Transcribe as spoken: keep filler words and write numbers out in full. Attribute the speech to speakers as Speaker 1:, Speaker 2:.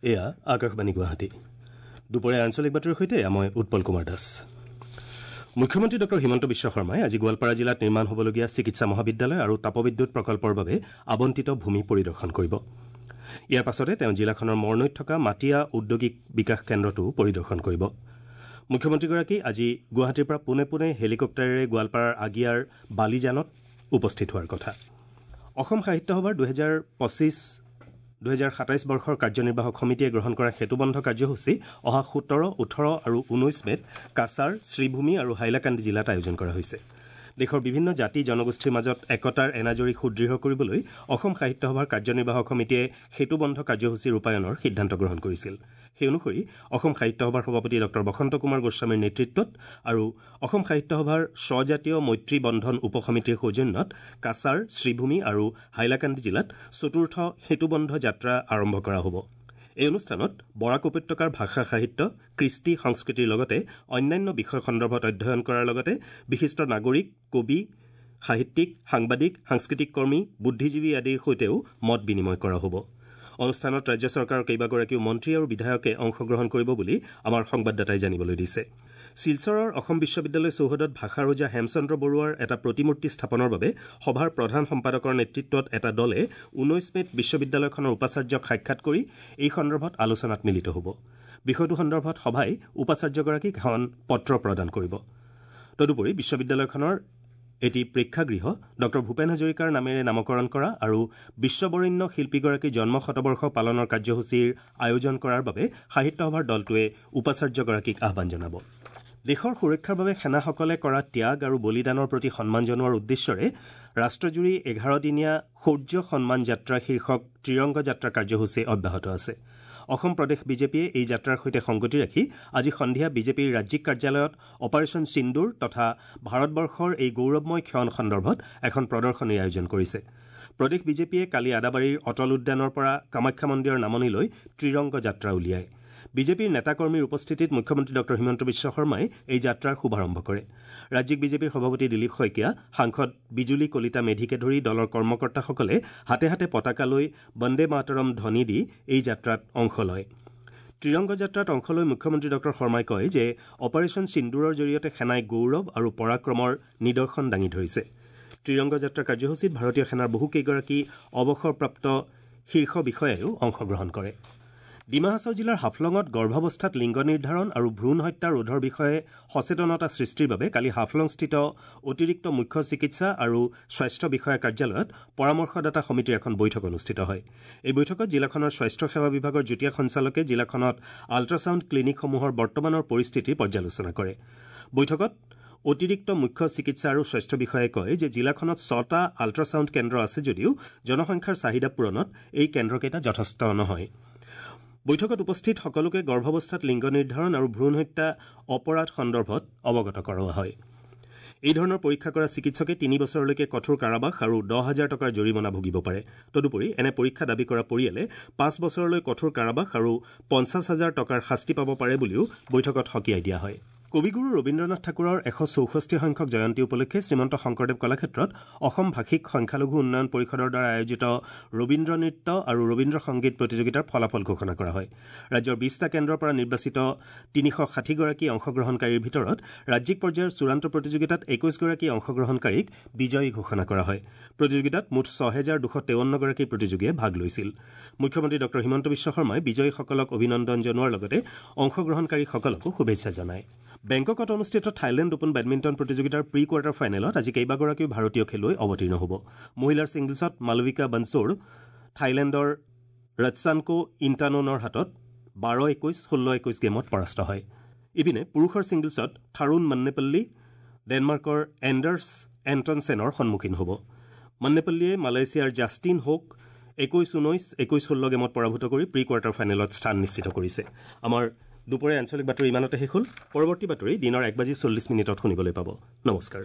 Speaker 1: এয়া আকাশবাণী গুৱাহাটী। দুপৰীয়া আঞ্চলিক বাতৰিৰ সৈতে মই উৎপল কুমাৰ দাস। মুখ্যমন্ত্ৰী ডঃ হিমন্ত বিশ্ব শৰ্মাই আজি গোৱালপাৰা জিলাত নিৰ্মাণ হ'বলগীয়া চিকিৎসা মহাবিদ্যালয় আৰু তাপবিদ্যুৎ প্ৰকল্পৰ বাবে আবণ্টিত ভূমি পৰিদৰ্শন কৰিব। ইয়াৰ পাছতে তেওঁ জিলাখনৰ মৰনৈত থকা মাটিয়া ঔদ্যোগিক বিকাশ কেন্দ্ৰটোও পৰিদৰ্শন কৰিব। মুখ্যমন্ত্ৰীগৰাকী আজি গুৱাহাটীৰ পৰা পোনে পোনে হেলিকপ্টাৰেৰে গোৱালপাৰাৰ আগিয়াৰ বালিজানত উপস্থিত হোৱাৰ কথা। অসম সাহিত্য সভাৰ দুহেজাৰ পঁচিছ দুহেজাৰ সাতাইছ বৰ্ষৰ কাৰ্যনিৰ্বাহক সমিতিয়ে গ্ৰহণ কৰা সেতুবন্ধ কাৰ্যসূচী অহা সোতৰ, ওঠৰ আৰু ঊনৈছ মে'ত কাছাৰ, শ্ৰীভূমি আৰু হাইলাকান্দি জিলাত আয়োজন কৰা হৈছে। দেশৰ বিভিন্ন জাতি জনগোষ্ঠীৰ মাজত একতাৰ এনাজৰী সুদৃঢ় কৰিবলৈ অসম সাহিত্য সভাৰ কাৰ্যনিৰ্বাহক সমিতিয়ে সেতুবন্ধ কাৰ্যসূচী ৰূপায়ণৰ সিদ্ধান্ত গ্ৰহণ কৰিছিল। সেই অনুসৰি অসম সাহিত্য সভাৰ সভাপতি ডঃ বসন্ত কুমাৰ গোস্বামীৰ নেতৃত্বত আৰু অসম সাহিত্য সভাৰ স্বজাতীয় মৈত্ৰী বন্ধন উপসমিতিৰ সৌজন্যত কাছাৰ, শ্ৰীভূমি আৰু হাইলাকান্দি জিলাত চতুৰ্থ সেতুবন্ধ যাত্ৰা আৰম্ভ কৰা হ'ব। এই অনুষ্ঠানত বৰাক উপত্যকাৰ ভাষা সাহিত্য, কৃষ্টি সংস্কৃতিৰ লগতে অন্যান্য বিষয় সন্দৰ্ভত অধ্যয়ন কৰাৰ লগতে বিশিষ্ট নাগৰিক, কবি, সাহিত্যিক, সাংবাদিক, সাংস্কৃতিক কৰ্মী, বুদ্ধিজীৱী আদিৰ সৈতেও মত বিনিময় কৰা হ'ব। অনুষ্ঠানত ৰাজ্য চৰকাৰৰ কেইবাগৰাকীও মন্ত্ৰী আৰু বিধায়কে অংশগ্ৰহণ কৰিব বুলি আমাৰ সংবাদদাতাই জানিবলৈ দিছে। শিলচৰৰ অসম বিশ্ববিদ্যালয় চৌহদত ভাষাৰ ওজা হেমচন্দ্ৰ বৰুৱাৰ এটা প্ৰতিমূৰ্তি স্থাপনৰ বাবে সভাৰ প্ৰধান সম্পাদকৰ নেতৃত্বত এটা দলে ঊনৈছ মে'ত বিশ্ববিদ্যালয়খনৰ উপাচাৰ্যক সাক্ষাৎ কৰি এই সন্দৰ্ভত আলোচনাত মিলিত হ'ব। বিষয়টো সন্দৰ্ভত সভাই উপাচাৰ্যগৰাকীক এখন পত্ৰ প্ৰদান কৰিব। তদুপৰি বিশ্ববিদ্যালয়খনৰ এটি প্ৰেক্ষাগৃহ ডঃ ভূপেন হাজৰিকাৰ নামেৰে নামকৰণ কৰা আৰু বিশ্ববৰেণ্য শিল্পীগৰাকীৰ জন্ম শতবৰ্ষ পালনৰ কাৰ্যসূচীৰ আয়োজন কৰাৰ বাবে সাহিত্য সভাৰ দলটোৱে উপাচাৰ্যগৰাকীক আহ্বান জনাব। দেশৰ সুৰক্ষাৰ বাবে সেনাসকলে কৰা ত্যাগ আৰু বলিদানৰ প্ৰতি সন্মান জনোৱাৰ উদ্দেশ্যৰে ৰাষ্ট্ৰজুৰি এঘাৰ দিনীয়া শৌৰ্য সন্মান যাত্ৰা শীৰ্ষক ত্ৰিৰংগ যাত্ৰা কাৰ্যসূচী অব্যাহত আছে। অসম প্ৰদেশ বিজেপিয়ে এই যাত্ৰাৰ সৈতে সংগতি ৰাখি আজি সন্ধিয়া বিজেপিৰ ৰাজ্যিক কাৰ্যালয়ত অপাৰেশ্যন সিন্দুৰ তথা ভাৰতবৰ্ষৰ এই গৌৰৱময় ক্ষণ সন্দৰ্ভত এখন প্ৰদৰ্শনীৰ আয়োজন কৰিছে। প্ৰদেশ বিজেপিয়ে কালি আদাবাৰীৰ অটল উদ্যানৰ পৰা কামাখ্যা মন্দিৰৰ নামনিলৈ ত্ৰিৰংগ যাত্ৰা উলিয়ায়। বিজেপিৰ নেতাকৰ্মীৰ উপস্থিতিত মুখ্যমন্ত্ৰী ডঃ হিমন্ত বিশ্ব শৰ্মাই এই যাত্ৰাৰ শুভাৰম্ভ কৰে। ৰাজ্যিক বিজেপিৰ সভাপতি দিলীপ শইকীয়া, সাংসদ বিজুলী কলিতা মেধিকে ধৰি দলৰ কৰ্মকৰ্তাসকলে হাতে হাতে পতাকা লৈ বন্দে মাতৰম ধ্বনি দি এই যাত্ৰাত অংশ লয়। ত্ৰিৰংগ যাত্ৰাত অংশ লৈ মুখ্যমন্ত্ৰী ডঃ শৰ্মাই কয় যে অপাৰেশ্যন সিন্দুৰৰ জৰিয়তে সেনাই গৌৰৱ আৰু পৰাক্ৰমৰ নিদৰ্শন দাঙি ধৰিছে। ত্ৰিৰংগ যাত্ৰা কাৰ্যসূচীত ভাৰতীয় সেনাৰ বহুকেইগৰাকী অৱসৰপ্ৰাপ্ত শীৰ্ষ বিষয়াইও অংশগ্ৰহণ কৰে। ডিমা হাছাও জিলাৰ হাফলঙত গৰ্ভাৱস্থাত লিংগ নিৰ্ধাৰণ আৰু ভ্ৰূণ হত্যা ৰোধৰ বিষয়ে সচেতনতা সৃষ্টিৰ বাবে কালি হাফলংস্থিত অতিৰিক্ত মুখ্য চিকিৎসা আৰু স্বাস্থ্য বিষয়া কাৰ্যালয়ত পৰামৰ্শদাতা সমিতিৰ এখন বৈঠক অনুষ্ঠিত হয়। এই বৈঠকত জিলাখনৰ স্বাস্থ্য সেৱা বিভাগৰ যুটীয়া সঞ্চালকে জিলাখনত আল্ট্ৰাছাউণ্ড ক্লিনিকসমূহৰ বৰ্তমানৰ পৰিস্থিতিৰ পৰ্যালোচনা কৰে। বৈঠকত অতিৰিক্ত মুখ্য চিকিৎসা আৰু স্বাস্থ্য বিষয়াই কয় যে জিলাখনত ছটা আল্ট্ৰাছাউণ্ড কেন্দ্ৰ আছে যদিও জনসংখ্যাৰ চাহিদা পূৰণত এই কেন্দ্ৰকেইটা যথেষ্ট নহয়। বৈঠকত উপস্থিত সকলোকে গৰ্ভাৱস্থাত লিংগ নিৰ্ধাৰণ আৰু ভ্ৰূণ হত্যা অপৰাধ সন্দৰ্ভত অৱগত কৰোৱা হয়। এই ধৰণৰ পৰীক্ষা কৰা চিকিৎসকে তিনি বছৰলৈকে কঠোৰ কাৰাবাস আৰু দহ হাজাৰ টকাৰ জৰিমনা ভুগিব পাৰে। তদুপৰি এনে পৰীক্ষা দাবী কৰা পৰিয়ালে পাঁচ বছৰলৈ কঠোৰ কাৰাবাস আৰু পঞ্চাছ হাজাৰ টকাৰ শাস্তি পাব পাৰে বুলিও বৈঠকত সকীয়াই দিয়া হয়। কবিগুৰু ৰবীন্দ্ৰনাথ ঠাকুৰৰ এশ চৌষষ্ঠি সংখ্যক জয়ন্তী উপলক্ষে শ্ৰীমন্ত শংকৰদেৱ কলাক্ষেত্ৰত অসম ভাষিক সংখ্যালঘু উন্নয়ন পৰিষদৰ দ্বাৰা আয়োজিত ৰবীন্দ্ৰ নৃত্য আৰু ৰবীন্দ্ৰ সংগীত প্ৰতিযোগিতাৰ ফলাফল ঘোষণা কৰা হয়। ৰাজ্যৰ বিছটা কেন্দ্ৰৰ পৰা নিৰ্বাচিত তিনিশ ষাঠিগৰাকী অংশগ্ৰহণকাৰীৰ ভিতৰত ৰাজ্যিক পৰ্যায়ৰ চূড়ান্ত প্ৰতিযোগিতাত একৈছগৰাকী অংশগ্ৰহণকাৰীক বিজয়ী ঘোষণা কৰা হয়। প্ৰতিযোগিতাত মুঠ ছহেজাৰ দুশ তেৱন্নগৰাকী প্ৰতিযোগীয়ে ভাগ লৈছিল। মুখ্যমন্ত্ৰী ডঃ হিমন্ত বিশ্ব শৰ্মাই বিজয়ীসকলক অভিনন্দন জনোৱাৰ লগতে অংশগ্ৰহণকাৰীসকলকো শুভেচ্ছা জনায়। বেংককত অনুষ্ঠিত থাইলেণ্ড অপেন বেডমিণ্টন প্ৰতিযোগিতাৰ প্ৰি কোৱাৰ্টাৰ ফাইনেলত আজি কেইবাগৰাকীও ভাৰতীয় খেলুৱৈ অৱতীৰ্ণ হ'ব। মহিলাৰ ছিংগলছত মালবিকা বানচোৰ থাইলেণ্ডৰ ৰৎসানকো ইণ্টাননৰ হাতত বাৰ একৈছ ষোল্ল একৈছ গেমত পৰাস্ত হয়। ইপিনে পুৰুষৰ ছিংগলছত থাৰুণ মন্নেপল্লী ডেনমাৰ্কৰ এণ্ডাৰ্ছ এণ্টনছেনৰ সন্মুখীন হ'ব। মন্নেপল্লীয়ে মালয়েছিয়াৰ জাষ্টিন হোক একৈছ ঊনৈছ একৈছ ষোল্ল গেমত পৰাভূত কৰি প্ৰি কোৱাৰ্টাৰ ফাইনেলত স্থান নিশ্চিত কৰিছে। আমাৰ দুপৰীয়া আঞ্চলিক বাতৰি ইমানতে শেষ হ'ল। পৰৱৰ্তী বাতৰি দিনৰ এক বাজি চল্লিছ মিনিটত শুনিবলৈ পাব। নমস্কাৰ।